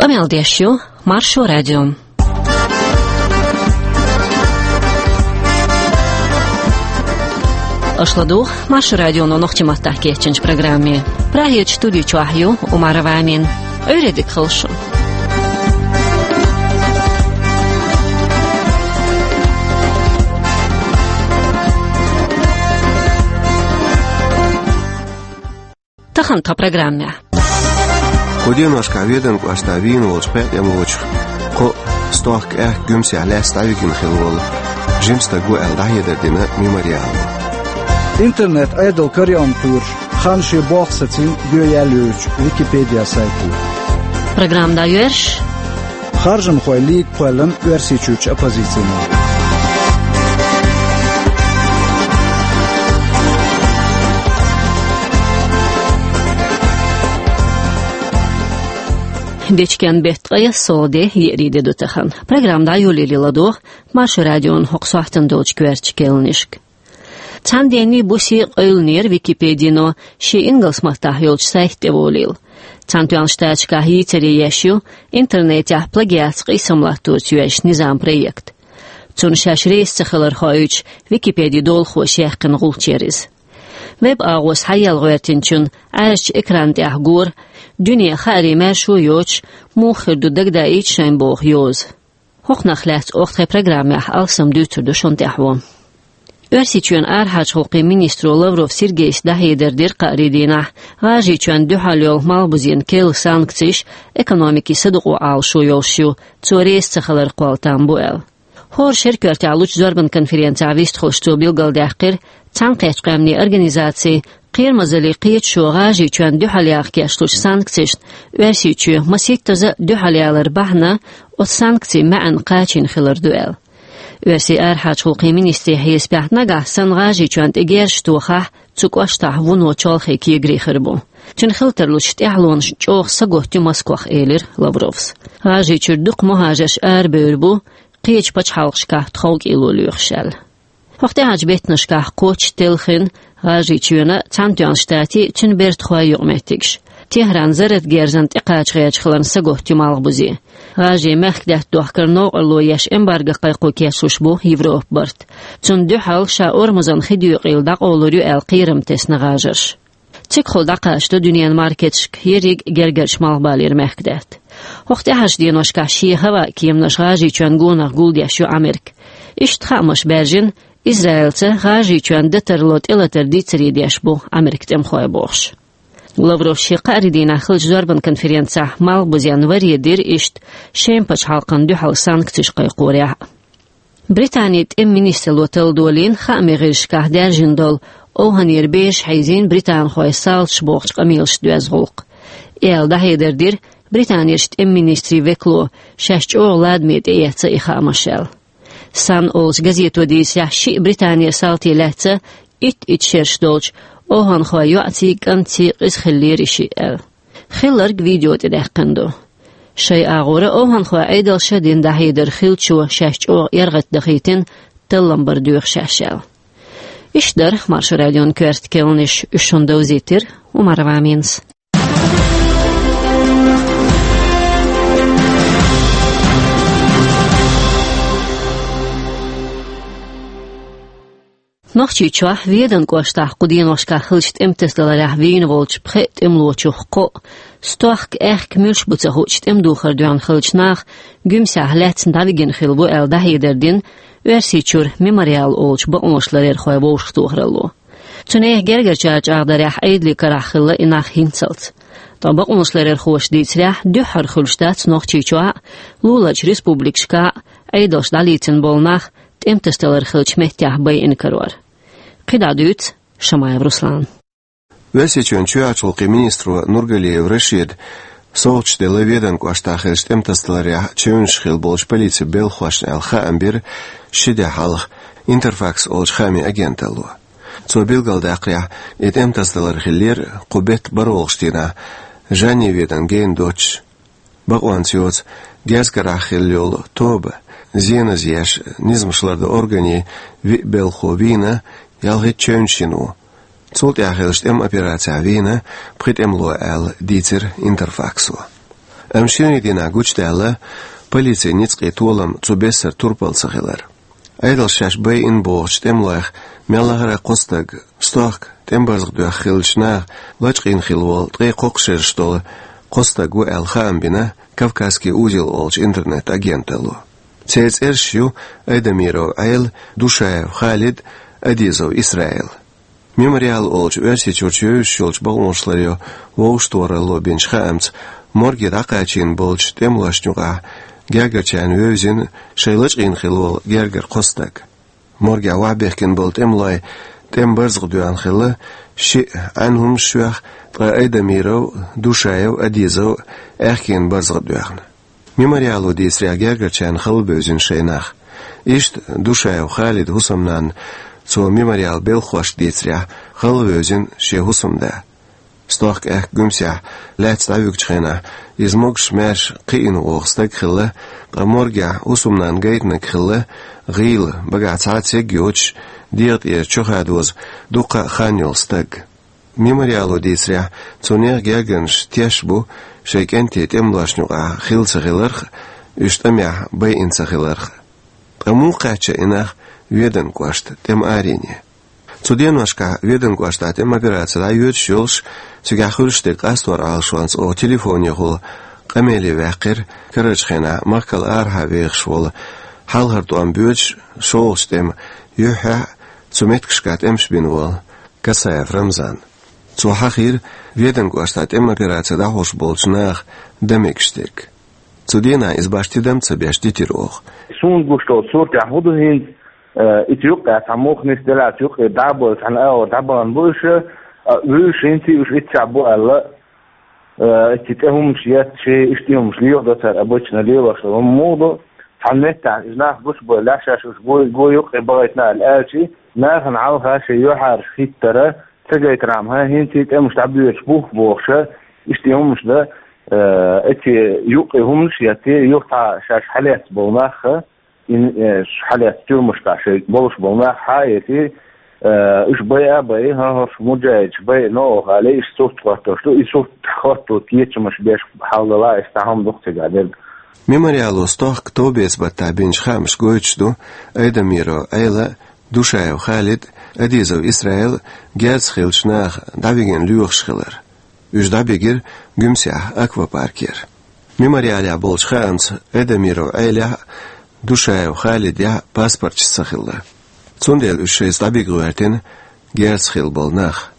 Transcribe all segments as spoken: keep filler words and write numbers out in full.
Къамел деш ю Маршо радио. Аша ладугӀу Маршо радионо нохчийн маттахь кечйинчу программе. Прагерчу студи чохь ю Умарова Амина. Ӏуьйре дика хуьлда шун. Тахана тхан программехь. Кху деношкахь Веданан кӀоштахь вийна волчу пхеа тӀемалочух кхоъ стохка аьхка Гуьмсехь лаьцна дӀавигина хилла волу жима стаг ву аьлла дӀахьедар дина Мемориало. Интернет Ӏедал карайоьллина кхуьуш, хан шен болх сацийна йоьяьлла йоьдучу Википедия сайто. Программа дӀайоьрзуш. Харжамхойн лига кхоьллина Оьрсийчуьрчу оппозицина. Дечкен беттан ткъе ялх де, еарин де ду тахана. Программа дӀайолале ладогӀа Маршо радион хӀокху сохьтана долчу коьртачу керланашка. Цхьана денний, бусий къевлинера Википедино шен ингалс маттахь йолчу сайта тӀе волийла. Цхьаьнатоьхначу Штаташкахь йийцаре еш ю интернетехь плагиатца къийсам латторца йоьзначу низаман проект. Цунна шаьш реза ца хилар хоуьйтуш, Википедин долахоша яьккхина гӀулч яра иза. Веб-агӀо схьаелла гӀоьртинчунна Ӏаьржачу экран тӀехь гора, дуьне хаарий маьршо йоцуш, муха хир ду дагадаийта шайна боху йоза. ХӀокхунах лаьцна оха тхайн программехь алсам дуьйцур ду шуна тӀаьхьо. Оьрсийчоьнан арахьарчу гӀуллакхийн министро Лавров Сергейс дӀахьедар дира кхаарин дийнахь, ГӀажарийчоьнна дуьхьал йолу малхбузенна керла санкцеш экономикин садукъо Ӏалашо йолуш ю, цо реза ца хилар кхолла там бу аьлла. ХӀора шеран коьртехь лучу зорбан конференцехь вистхуьлуш цо билгалдаьккхира, Цхьаьнакхеттачу Къаьмнийн Организацин кхерамазаллин кхеташо ГӀажарийчоьнна дуьхьал яха кечлучу санкцешна Оьрсийчоь масийттаза дуьхьал ялар бахьана оцу санкцийн маьӀна кхачийна хилар ду аьлла. Оьрсийн арахьарчу гӀуллакхийн министрийн хьесапехь, нагахь санна ГӀажарийчоьнна тӀе герзаш тохахь, цу кӀоштахь вуно чолхе кегари хир бу. Цуьнан хила тарлучу тӀаьхьалонашна чӀогӀа сагатта ю Москвах, элира Лавровс. ГӀажарийчуьра дукха мухӀажарш арабевр бу, кхечу пачхьалкхашкахь тховкӀело лоьхуш аьлла. ХӀокху тӀаьхьарчу беттанашкахь кхоччуш телхина ГӀажарийчоьнан а, Цхьаьнатоьхначу Штатийн а, цуьнан бертахойн а юкъаметтигаш. Техран зарратан герзана тӀекхача гӀерташ хиларна сагатта ю малхбузе. ГӀажарийн мехкдаьтта дохкар новкъарло еш эмбарго кхайкхо кечлуш бу Европа барт. Цунна дуьхьал ша Ормузан хи доькъийла дӀакъовлур ю аьлла кхерам тесна ГӀажарш. Цигахула дӀакхачадо дуьненан маркеташка ерриг гергарчу малхбалера мехкдаьтта. ХӀокху тӀаьхьарчу деношкахь шен хӀаваан кеманаш ГӀажарийчоьнна гонах гулдеш ю Ӏамерка. Иштта хаамаш баьржина, Израилца ГӀажарийчоьнна дан тарло тӀелатар дийцаре деш бу Ӏамеркан тӀемахой бохуш. Лавров шен кхаарин дийнахь хиллачу зорбан конференцехь малхбузенна варе дира иштта шен пачхьалкхана дуьхьал санкцеш кхайкхорехь а. Британин тӀеман министралло талла долийна хаамийн гӀирсашкахь даьржина долу овхӀанера безаш хьийзийна британхойн салташа бохучу къамелашца доьзна гӀуллакх. И аьлла дӀахьедар дира Британерчу тӀеман министрийн векало, шаьш чӀогӀа ладаме тӀеэцна и хаамаш аьлла. Сан олучу газето дийцарехь, шиъ Британера салти лаьцна итт-итт шераш долчу овхӀанхойн йоӀций, кӀантций къиза хиллера и шиъ аьлла. Хилларг видео тӀе даьккхина ду. Шайн агӀора овхӀанхойн Ӏедалша дина дӀахьедар хиллачо шаьш чӀогӀа эргӀатта дахийтина, таллам бар доьху шаьш аьлла. Иштта дара Маршо радион коьрта керланаш, уьш шуна довзийтира Умарова Аминас. Нохчийчохь Веданан кӀоштахь кху деношкахь хиллачу тӀематасадаларехь вийна волчу пхеа тӀемалочух кхоъ, стохка аьхка муьлш бу ца хуучу тӀеман духар доьхна хиллачу наха Гуьмсехь лаьцна дӀавигина хилла ву аьлла дӀахьедар дина Оьрсийчуьра Мемориал олучу бакъонаш ларъярхойн вовшахтохаралло. Цу нехан гергарчара чӀагӀдарехь, Ӏедалийн карахь хилла и нах хӀинццалц. Ткъа бакъонаш ларъярхоша дийцарехь, дуьххьара хуьлуш дац Нохчийчохь а, луларчу республикашкахь а Ӏедалша дӀалецна болу нах тӀематасадалар хиллачу меттехь байина карор. КхидӀа дуьйцу Шамаев Руслана. Оьрсийчоьнан чоьхьарчу гӀуллакхийн министро Нургалиев Рашида совгӀаташ делла Веданан кӀоштахь хиллачу тӀематасадаларехь чевнаш хилла болчу полицин белхахошна аьлла хаам бира ши де хьалха Интерфакс олучу хаамийн агенталло. Цо билгалдаьккхарехь, и тӀематасадалар хиллера кху беттан бархӀалгӀачу дийнахь, Жанни Веданан гена доццуш. Бакъонца йоцу герз карахь хилла йолу тоба, зеназа еш, низамаш лардан органийн виъ белхахо вийна, ялхитта чевнаш йина ву. Цул тӀаьхьа хиллачу тӀеман операцехь вийна пхи тӀемало аьлла дийцира Интерфаксо. Амма шерийн дийнахь гучудаьлла полицин ницкъийн толам цу бессара турпал ца хилар. Ӏедалша шаьш байина бохучу тӀемалойх мел лахара кхо стаг, стохка тӀеман барзакъ доьхна хиллачу наха лачкъийна хилла волу ткъе кхоккхуш шераш долу кхо стаг ву аьлла хаам бина «Кавказский узел» олучу интернет-агенталло. Церан цӀераш ю Айдамиров Ӏела, Душаев Халид, Адизов Исраил. «Мемориал» олучу Оьрсийчуьрчу вевзаш йолчу бакъонашларъяран вовшахтохаралло бинчу хаамца, морге дӀакхачийна болчу тӀемалошна юкъахь гергарчарна вевзина шайн лачкъийна хилла волу гергара кхо стаг. Моргехь охьабехкина болу тӀемалой тӀеман барзакъ доьхна хилла шиъ Ӏаьнан хӀуманаш йоьхна, ткъа Айдамиров, Душаев, Адизов аьхкенан барзакъ доьхна. «Мемориало» дийцарехь, гергарчарна хала бевзина шайн нах. Иштта Душаев Халидан хӀусамнанна, цо «Мемориалан» белхахошка дийцарехь, хала вевзина шен хӀусамда. Стохка аьхка Гуьмсехь лаьцна дӀавуьгучу хенахь, иза могуш-маьрша кхиъна вогӀу стаг хилла, ткъа моргехь хӀусамнанна гайтинарг хилла гӀийла, багахь цхьа а церг йоцуш, дегӀан тӀера чохадоза дуккха а хан йолу стаг. «Мемориало» дийцарехь, цу нехан гергарнаш теш бу шайн кӀентий тӀемалошна юкъахь хилла ца хиларх а, уьш тӀамехь байина ца хиларх а. Ткъа муха кхаьчна и нах Веданан кӀоштан тӀеман арене? Цу деношкахь Веданан кӀоштахь тӀеман операци дӀайоьдуш йолуш, цигахь хуьлуш дерг къастор Ӏалашонца оха телефонехула къамеле ваьккхира карарчу хенахь махкал арахьа вехаш волу, хьалхара тӀом боьдуш, шолгӀачу тӀеман юьххьехь а цу меттигашкахь тӀемаш бина волу Касаев Рамзан. Цо хьахийра Веданан кӀоштахь тӀеман операци дӀахьош болчу наха дан мегаш дерг. Цу дийнахь иза башха тидам а ца беш дитира оха. Суна гуш долчу суртехь хӀун ду хӀинца, э, ицу юккъехь цхьа мух нисделла, цу юккъе дӀа а бой, цхьана агӀор дӀабахана бу уьш, а, вуьйш хӀинца уьш иццехь бу аьлла, э, иццахь тӀе хӀуманаш етташ, иштта хӀуманаш леладо цара, обычно лелош хӀума муха ду, цхьана меттехь иза нах гучубевлла, шаьш уьш гой, гой юккъе бахийтина аьлла аьлча, нахана хьалха шайн юьхьӀаьржа хӀиттара, ца гайтархьама, хӀинца тӀемаш дӀабоьдуш бу бохуша, иштта хӀуманаш дан, э, эццахь юккъе хӀуманаш а етта, юха цхьа шаьш хьалаьцна болу нах а, ин, э, хьалаьцна тюрьмашкахь шайн болуш болу нах хьа а эций, э, уьш байа а байи, хӀан хӀорш муджахӀидаш байина оха алий, иштта сурт хӀоттош ду, и сурт хӀотто кечамаш беш хьал дала, иштта хӀума ду-кх цигахь дерг. «Мемориало» стохка товбеца баттахь бинчу хаамаша гойтуш ду Айдамиров Ӏела, Душаев Халид, Адизов Исраил герзаца хиллачу наха дӀавигина лоьхуш хилар. Уьш дӀабигира Гуьмсехь аквапаркера. «Мемориалехь» болчу хаамца Айдамиров Ӏелехь а, Душаев Халидехь а паспорташ ца хилла. Цундела уьш шайца дӀабига гӀоьртина герзаца хилла болу нах.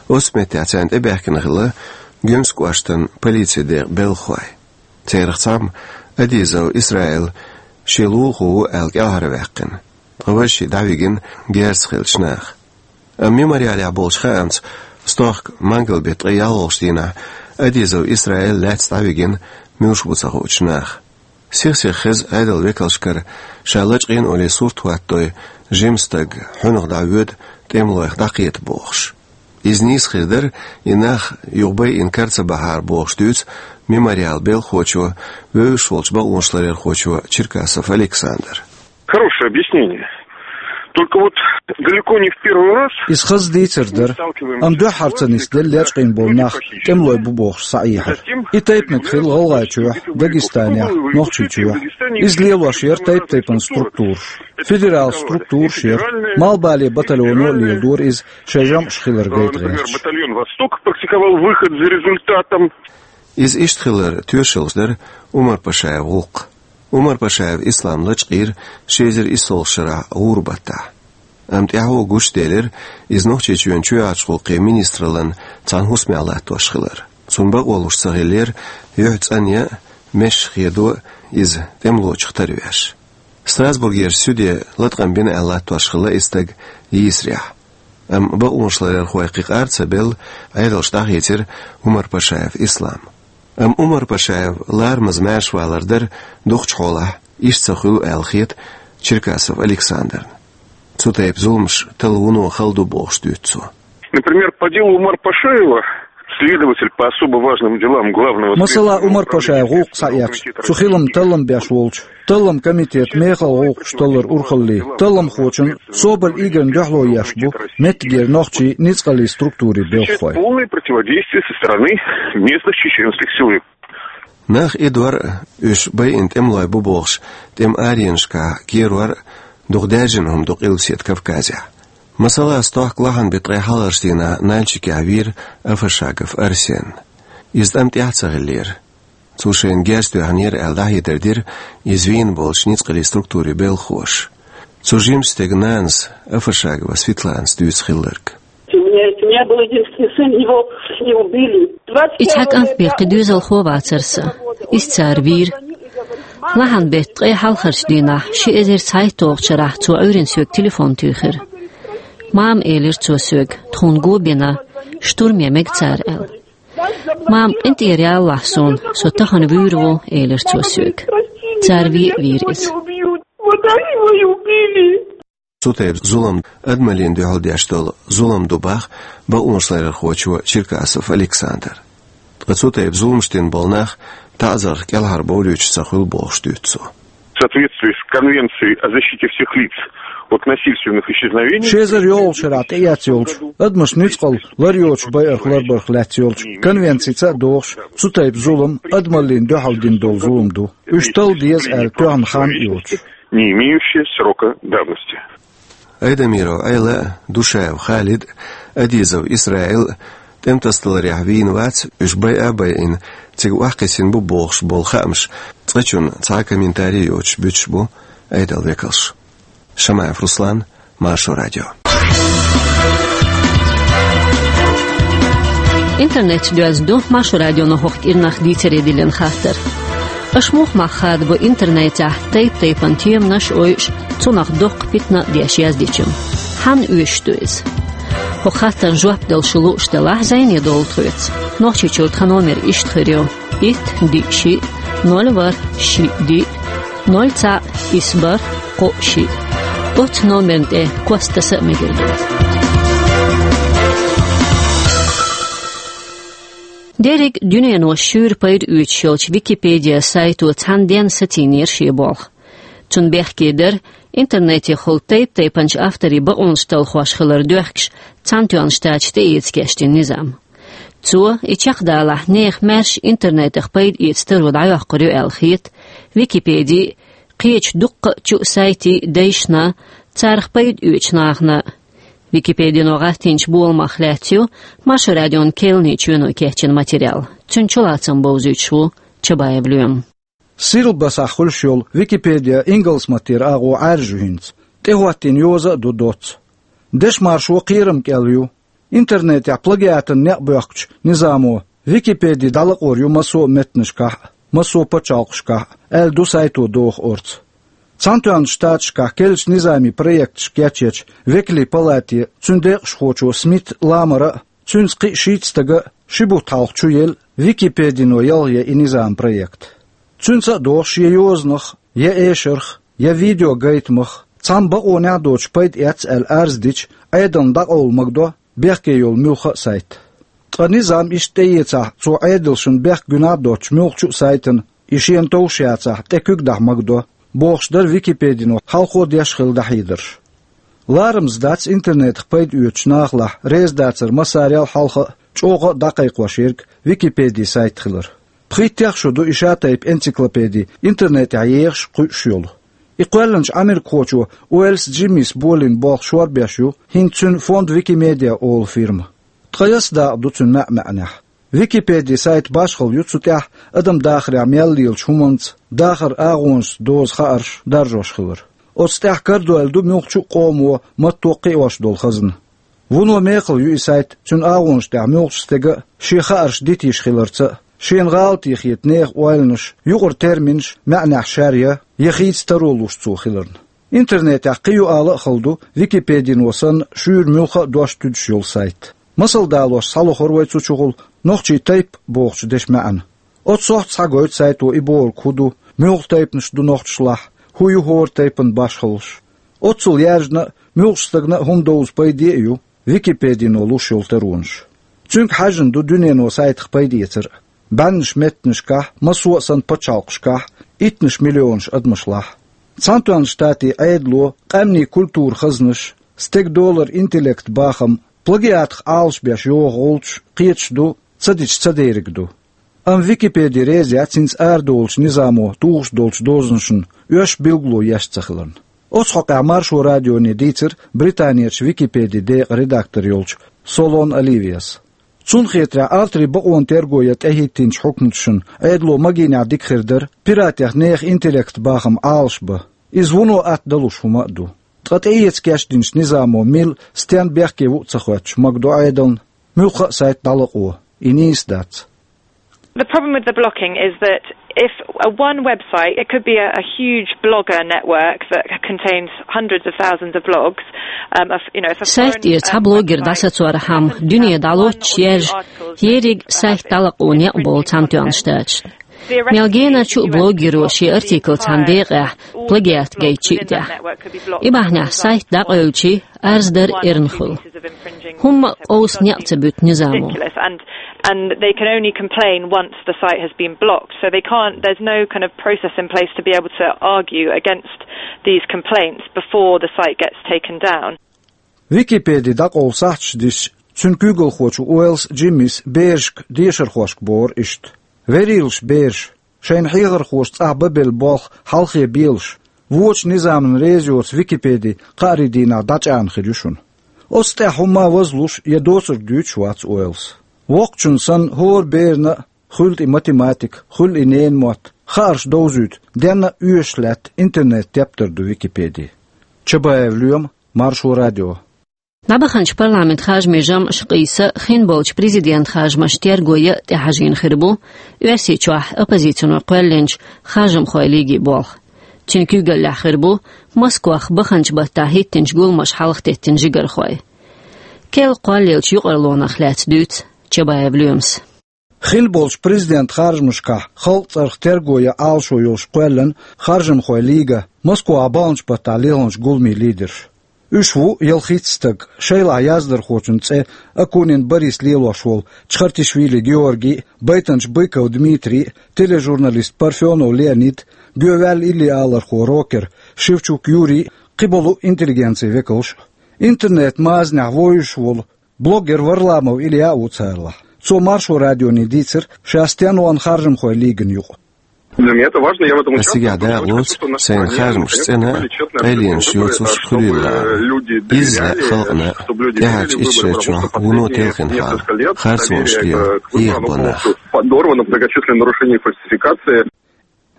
Оццу меттехь царна тӀебаьхкина хилла Гуьмсан кӀоштан полицин декъан белхахой. Царах цхьамма Адизов Исраил шен лулахо ву аьлла кӀелхьарваьккхина, ткъа важа шиъ дӀавигина герзаца хиллачу наха. Амма «Мемориалехь» болчу хаамца, стохка мангал-беттан ткъе ялхалгӀачу дийнахь Адизов Исраил лаьцна дӀавигина муьлш бу ца хуучу наха. Сих-сиха хеза Ӏедалан векалшкара, ша лачкъийна олий сурт хӀоттадой жима стаг хьуьнах дӀавоьду тӀемалойх дӀакхета бохуш. Иза нийса хир дара, и нах юха байина кара ца бахьара бохуш дуьйцу «Мемориалан» белхахочо, вевзаш волчу бакъонашларъярхочо Черкасов Александра. Хорошее объяснение. Только вот далеко не в первый раз. Иза хаза дийцар дара. Амма дуьххьара ца нисделла лечкъийна болу нах тӀемалой бу бохуш схьаоьхура. И тайпаниг хилла ГӀалгӀайчохь, Дагестанехь, Нохчийчохь. Иза лелош яра тайп-тайпана структураш. Федерал структураш яра. Малхбален батальоно а леладора иза, шайн жамӀаш хилар гайта гӀерташ. Батальон «Восток» практиковал выход за результатом. Иза иштта хилар тоьшаллаш дара Умар-Пашаев гӀуллакх. Умар-Пашаев Ислам лачкъийра ши эзар иссалгӀачу шарахь гӀуран баттахь. Амма тӀаьхьо гучуделира иза Нохчийчоьнан чоьхьарчу гӀуллакхийн министраллан цхьана хӀусамехь латтош хилар. Цунна бакъо луш ца хиллера юьхь цӀанъян а, месаш хедо а иза тӀемалочух тарвеш. Страсбургерчу суьде латкъам бина аьлла латтош хилла и стаг йийсарехь. Амма бакъонашларъярхой кхин къар а ца белла, Ӏедалша дӀахийцира Умар-Пашаев Ислам. Амма Умар-Пашаев ларамаза маьршавалар дара дукхачу хьолахь, иштта ца хуьлу аьлла хета Черкасов Александрна. Цу тайпа зуламаш талла вуно хала ду бохуш дуьйцу цо. Например, по делу Умар-Пашаева, следователь по особо важным делам Главного следственного управления Следственного комитета Российской Федерации. Масала, Умар-Пашаев гӀуллакх схьаэцча, цу хиламан таллам беш волчу таллам комитетан мехала гӀуллакхаш таллар урхаллин талламхочун Соболь Игорьна дуьхьало еш бу меттигера нохчийн ницкъаллин структурийн белхахой. Встречает полное противодействие со стороны местных чеченских силовиков. Нах идор а, уьш байина тӀемалой бу бохуш, тӀеман аренашкахь керор а дукха даьржина хӀума ду Къилбаседа Кавказехь. Масала, стохка лахьан беттан ткъе хьалхарчу дийнахь Нальчикехь вийра Афашагов Арсен. Иза тӀам тӀехь а ца хиллера. Цо шайна герз тоьхнера аьлла, дӀахьедар дира иза вийна болчу ницкъаллин структурийн белхахоша. Цу жимачу стеган нанас Афашагова Светланас дуьйцу хилларг. У меня, у меня был единственный сын, его не убили. И цхьа кӀант бен кхин доьзалхо вацара сан. Иза цара вийра. Лахьан беттан ткъе хьалхарчу дийнахь, ши эзар цхьайтталгӀачу шарахь цо Ӏуьйранна соьга телефон туьйхира. «Мама», — элира цо соьга, — «тхуна го бина, штурме мега цара», — аьлла. «Мама, къинтӀера ялалахь суна, со тахана вуьйр ву», — элира цо соьга. Цара вен а вийра иза. Цу тайпа зулам адамаллина дуьхьал деш долу зулам ду боху бакъонашларъярхочо Черкасов Александра. Ткъа цу тайпа зуламаш дина болу нах таӀзарх кӀелхьарбовлуьйтуш ца хуьлу бохуш дуьйцу цо. В соответствии с Конвенцией о защите всех лиц от насильственных исчезновений. Ши эзар йолхучу шарахь тӀеэцна йолчу адамаш нуьцкъала лар йоцуш байарх ларбарх лаьцна йолчу конвенцица а догӀуш, цу тайпа зулам адамаллина дуьхьал дина долу зулам ду. Уьш талла деза аьлла тоьхна хан а йоцуш. Не имеющие срока давности. Айдамиров Ӏела а, Душаев Халид а, Адизов Исраил а тӀемтасадаларехь вийна вац, уьш байа а байина, цига охьакхиссина бу бохуш болу хаамаш цкъачунна цхьа а комментарий йоцуш буьтуш бу Ӏедалан векалш. Шамаев Руслан, Маршо радио. Интернет чу доьзна ду Маршо радионо хӀокху кӀирнах дийцаре диллина хаттар. Аша муха мах хадабо интернетехь тайп-тайпана теманаш а ойуш, цунах доккха питана а деш яздечун? Хьанна оьшуш ду иза? ХӀокху хаттарна жоп дала шу лууш делахь, зӀене довла тхоьца. Нохчийчуьра тхан номер иштта хир ю: итт, диъ, шиъ, ноль, ворхӀ, шиъ, диъ, ноль, цхьаъ, исс, бархӀ, кхоъ, шиъ. Оццу номерна тӀе кост таса а мегар ду. Дерриг дуьнено шуьйра пайда оьцуш йолчу Википедия сайто цхьана денна сацийнера шен болх. Цунна бехке дара интернетехула тайп-тайпанчу авторийн бакъонаш талхош хилар доьхкуш Цхьаьнатоьхначу Штаташка тӀеэца кечдина низам. Цо, и чекхдалахь, нехан маьрша интернетах пайда эца таро дӀайоккхур ю аьлла хета Википеди а, кхечу дуккха а чу а сайтий а дайшна, царах пайда оьцучу нахана а. Википедино гӀаттийначу боламах лаьцна ю Маршо радион кхаьллачу чоьно кечйина материал. Цуьнан чулацам бовзуьйтуш ву Чабаев Лоьма. Сирлбасахь хуьлуш йолу Википедия ингалс маттера агӀо Ӏаьржа ю хӀинца. ТӀехӀоттийна йоза а ду доцца. Дешмаршо кхерам кӀел ю. Интернетехь плагиатан некъ боьхкучу низамо Википеди дӀалакъор ю массо а меттанашкахь а, массо а пачхьалкхашкахь а, аьлла ду сайто доху орца. Цхьаьнатоьхначу Штаташкахь керлачу низамийн проекташ кечъечу Векалийн палате а, цуьнан декъашхочо Смит Ламара а, цуьнца кхин а шийтта стага а ши бутт хьалха чу елла Википедино ялхаян и низам проект. Цуьнца а догӀу шен йозанах, я эшарх, я видеогайтамах цхьамма бакъонехь а доцуш пайда эцна аьлла арз дича, Ӏедална дӀакъовла магадо бехке йолу муьлхха а сайт. Ткъа низам иштта тӀеэцахь, цо Ӏедалшна бехк гуьнахь а доцучу муьлххачу а сайтана, и шена товш яцахь, тӀе куьг дахьа магадо, бохуш дара Википедино хьалхо деш хилла дӀахьедарш. Ларамаза дац интернетах пайда оьцучу нахалахь реза дацар массарел а хьалха а, чӀогӀа а дӀакхайкхош ерг Википедин сайт хилар. Пхийттех шо ду и шатайпа энциклопеди интернетехь ехаш, кхуьуш йолу. И кхоьллинчу америкахочо Уэллс Джиммис болийна болх шорбеш ю хӀинца цуьнан Фонд Викимедиа олу фирма. Ткъа ясса дакъа ду цуьнан маьӀ-маьӀнехь. Википедин сайт башхалла ю цу тӀехь адам дахарехь мел лелачу хӀуманца, дахаран агӀонашца доза хаарш даржош хилар. Оцу тӀехь карадойла ду муьлххачу а къомо, матто кхиош долу хазна. Вуно мехала ю и сайт цуьнан агӀонаш тӀехь муьлххачу стеган а шен хаарш дита йиш хиларца а, шена гӀалатехьа хета нехан ойланаш, юкъара терминаш маьӀнехь шаьръян я хийца таро луш цо хиларна. Интернетехь кхин юкъала а хала ду Википедино санна шуьйра муьлхха а дош туьдуш йолу сайт. Масал далош схьалохура вай цу чухула нохчийн тайп бохучу дешан маьӀна. Оццу сохьта схьагойту сайто и бохург хӀун ду, муьлха тайпанаш ду нохчашлахь, хӀун ю хӀора тайпан башхаллаш. Оццул яьржина а, муьлххачу стагана а хӀума довза пайде а ю Википедино луш йолу таронаш. Цуьнга хьаьжжина ду дуьнено сайтах пайда эцар а. БӀеннаш меттанашкахь, массо а санна пачхьалкхашкахь, иттанаш миллионаш адамашлахь. Цхьаьнатоьхначу Штатийн Ӏедало къаьмнийн культуран хазнаш, стеган долара интеллект бахам, плагиатах Ӏалашбеш йогӀу гӀулчаш кхеташ ду, ца дича ца дериг ду. Амма Википеди реза яц хӀинца арадолучу низамо тухуш долчу дозанашна оьшуш билгало еш ца хиларна. Оцу хьокъехь Маршо радионе дийцира Британерчу Википеди декъан редактор йолчу Солон Оливияс. Цунна хетарехь, аларе бакъонан терго ян тӀехӀиттинчу хьукматашна Ӏедало магийнехь дика хир дара пиратех нехан интеллектан бахам Ӏалашбан. Иза вуно атта далуш хӀума а ду. Ткъа тӀеэца кечдинчу низамо мила, стенна бехке ву а ца хоьттуш, магадо Ӏедална муьлхха а сайт дӀалакъо, и нийса дац. The problem with the blocking is that if a one website, it could be a, a huge blogger network that contains hundreds of thousands of blogs, um, of, you know, if a Сайт тӀера цхьа блогер дӀасацорхьама, дуьне дӀалоцуш яьржа, ерриг сайт дӀалакъо некъ болу Цхьаьнатоьхначу Штаташна. Мел генарчу а блогеро шен артикл цхьана декъехь плагиат гайтчи а тӀехь. И бахьанехь сайт дӀакъевличи, арз дар эрна хуьлу. ХӀумма а къовса некъ ца буьту низамо. And they can only complain once the site has been blocked. So they can't, there's no kind of process in place to be able to argue against these complaints before the site gets taken down. Википеди дӀакъовла сахьташ дисча, цуьнан куьйгалхочо Уэллс Джиммис берашка дешархошка бохура иштта: «Верийлаш бераш, шайна хьехархоша цӀахь бан белла болх хьалхе белаш, вочу низамна реза йоцу Википеди кхаарин дийнахь дӀачӀагӀна хир ю шуна». Оцу тӀехь хӀумма а вазлуш я доцург дуьйцуш вац Уэллс. Воккхачунна санна, хӀора берана а, хуьлда и математика, хуьлда и ненан мотт, хаарш довзуьйту, денна а оьшуш лаьтта интернет-тептар ду Википеди. Чабаев Лоьма, Маршо радио. ДӀабаханчу парламент харжамийн жамӀаш къийса хин болчу президент харжамаш терго ян а тӀехьажийна хир бу Оьрсийчохь оппозицино кхоьллинчу Харжамхойн лигин болх. Цуьнан куьйгаллехь хир бу Москвахь баханчу баттахь хӀиттинчу гуламаша хьалхатеттина жигархой. Керла кхоллаеллачу юкъарлонах лаьцна дуьйцу Чабаев Лоьмас. Хин болчу президент харжамашкахь халкъан цӀарах терго ян Ӏалашо йолуш кхоьллина Харжамхойн лига Москвахь баханчу баттахь лелханчу гуламийн лидерш. Уьш ву ялхитта стаг, шайлахь яздархочун цӀе Акунин Борис лелош волу Чхартишвили Георгий, байтанча Быков Дмитрий, тележурналист Парфенов Леонид, гоьваьлла иллиалархо рокер Шевчук Юрий, кхиболу интеллигенцин векалш. Интернет-мазанехь вовзуш волу блогер Варламов Илья а ву царлахь. Цо Маршо радионе дийцира, ша стенна вахана Харжамхойн лигина юкъа. Для меня это важно, я в этом участвую. Ас цигахь дакъалоцу, сайна харжамаш цӀена а, къайленаш йоцуш хуьлийла а. Изза халкъана а, тӀаьхьарчу итт шарчохь вуно телхина хьал, харцонаш лела, хьехабо нах. Подорвано, многочисленные нарушения и фальсификации.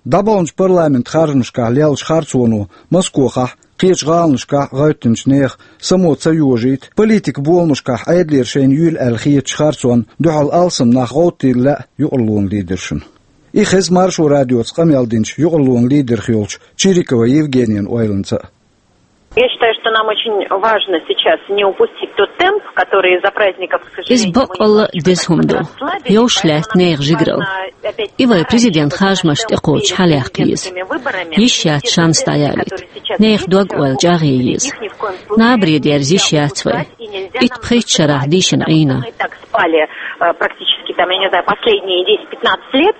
ДӀабаханчу парламент харжамашкахь леллачу харцоно Москохахь, кхечу гӀаланашкахь гӀевттинчу нехан само ца йожийта, политикан боламашкахь Ӏедалера шайна юьйлу аьлла хетачу харцонна дуьхьал алсам нах гӀовттийла лаьа юкъарлонан лидершна. И хеза Маршо радиоца къамел динчу юкъарлонан лидерх йолчу Чирикова Евгениян ойланца а. Я считаю, что нам очень важно сейчас не упустить тот темп, который из-за праздников, к сожалению, мы немножечко расслабились, подрослабились, поэтому нам важно опять... Иза бакъалла деза хӀума ду. Йовш лаьтта нехан жигаралла. И вай президент харжамаш тӀекхочу хьалаяккха еза. Йиш яц шанс дӀаялийта. Нехан дог-ойла чӀагӀъе еза. Набаре дерза йиш яц вай. Итт-пхийтта шарахь дийшина Ӏийна. Спали, э, практически, там, я не знаю, последние десять-пятнадцать лет.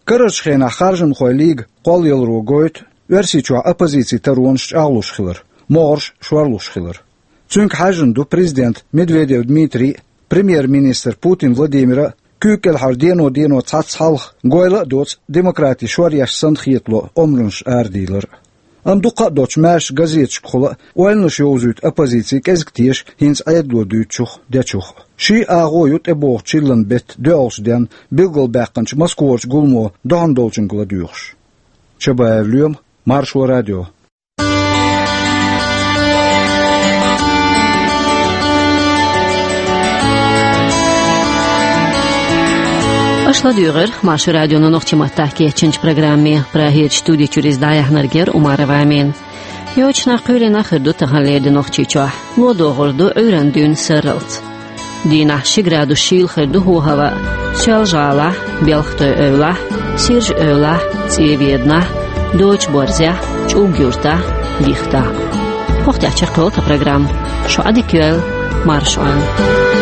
Карарчу хенахь Харжамхойн лига кхоллаяларо гойту Оьрсийчохь оппозицин таронаш чӀагӀлуш хилар, могӀарш шорлуш хилар. Цуьнга хьаьжжина ду президент Медведев Дмитрий а, премьер-министр Путин Владимир а, куьйга кӀелхьара дено-дено цхьацца хьалха гойла а доцу демократин шоръеш санна хетало омранаш арадийлар а. Амма дукха а доцуш маьрша газеташкахула а ойланаш йовзуьйту оппозици кӀезиг теша хӀинца Ӏедало дуьйцучух а, дечух а. Ший агӀо ю тӀебогӀучу чиллан беттан доьалгӀачу денна билгалбаьккхинчу Москварчу гуламо дохьуна долчуьнга ладоьгӀуш. Чабаев Лоьма, Маршо радио. Аша ладуьйгӀира Маршо радионо нохчийн маттахь кечйинчу программе. Прагерчу студи чуьра иза дӀаяьхьнарг яра Умарова Амина. Йочу нах кхоьлина хир ду таханлера де Нохчийчохь. Ло догӀур ду Ӏуьйранна дуьйна сарралц. Дийнахь ши градус шийла хир ду хӀаваъ. Соьлжа-ГӀалахь, Белхатойн-Эвлахь, Сиржа-Эвлахь, ЦӀен-Веданахь, Дочу-Борзехь, ЧӀуг-Юьртахь, Дихтахь. ХӀокху тӀехь чекхйолу тхан программа. Шу Ӏадика йойла, марша Ӏойла.